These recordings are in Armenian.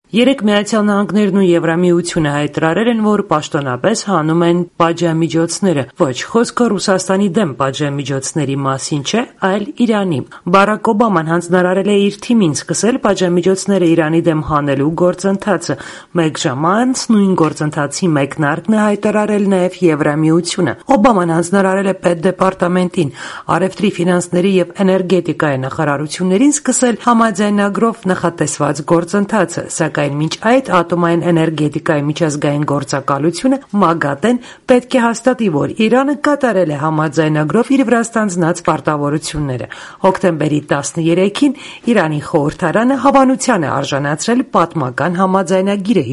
Երեկ Միացյալ Նահանգներն ու Եվրամիությունը հայտարարել են, որ պաշտոնապես հանում են պատժամիջոցները։ Ոչ, խոսքը Ռուսաստանի դեմ պատժամիջոցների մասին չէ, այլ Իրանի։ Բարակ Օբաման հանձնարարել է իր թիմին սկսել պատժամիջոցները Իրանի դեմ հանելու գործընթացը։ Մեկ ժամ անց նույն գործընթացի մեկնարկն է հայտարարել նաև Եվրամիությունը։ Օբաման հանձնարարել է պետդեպարտամենտին, առևտրի, ֆինանսների եւ էներգետիկայի նախարարություններին սկսել համաձայնագրով նախատեսված գործընթացը, սակայն մինչ այդ ատոմային էներգետիկայի միջազգային գործակալությունը ՄԱԳԱՏԷ-ն պետք է հաստատի, որ Իրանը կատարել է համաձայնագրով իր վրա ստանձնած պարտավորությունները։ Հոկտեմբերի 13-ին Իրանի խորհրդարանը հավանության է արժանացրել պատմական համաձայնագիրը,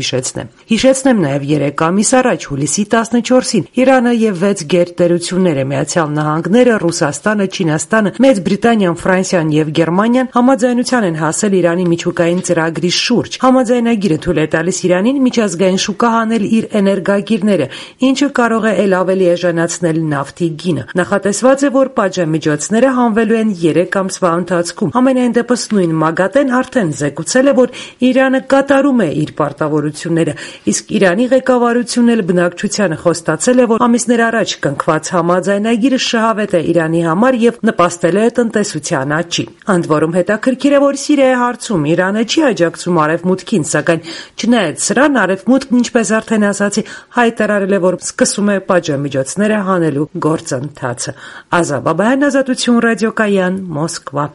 հիշեցնեմ նաև 3 ամիս առաջ, հուլիսի 14-ին Իրանը եւ 6 գերտերությունները՝ Միացյալ Նահանգները, Ռուսաստանը, Չինաստանը, Մեծ Բրիտանիան, Ֆրանսիան եւ Գերմանիան համաձայնության են հասել Իրանի միջուկային ծրագրի շուրջ։ Համաձայնագիրը թույլ է տալիս Իրանին միջազգային շուկա հանել իր էներգագիրները, ինչը կարող է ել ավելի էժանացնել նավթի գինը։ Նախատեսված է, որ պատժամիջոցները հանվելու են 3 ամսվա ընթացքում։ Համենայն դեպս նույն ՄԱԳԱՏԷ-ն արդեն զեկուցել է, որ Իրանը կատարում է իր պարտավորությունները, իսկ Իրանի ղեկավարությունն էլ բնակչությանը խոստացել է, որ ամիսներ առաջ կնքված համաձայնագիրը շահավետ է Իրանի համար եւ նպաստել է տնտեսության աճին։ Ընդ որում հետաքրքիր է, որ Սիրիայի հարցում Իրանը չի աջակցում Արևմուտքին, սակայն չնայած սրան Արևմուտքն, ինչպես արդեն ասացի, հայտարարել է, որ սկսում է պատժամիջոցները հանելու գործընթացը։ Ազա Բաբայան, Ազատություն ռադիոկայան, Մոսկվա։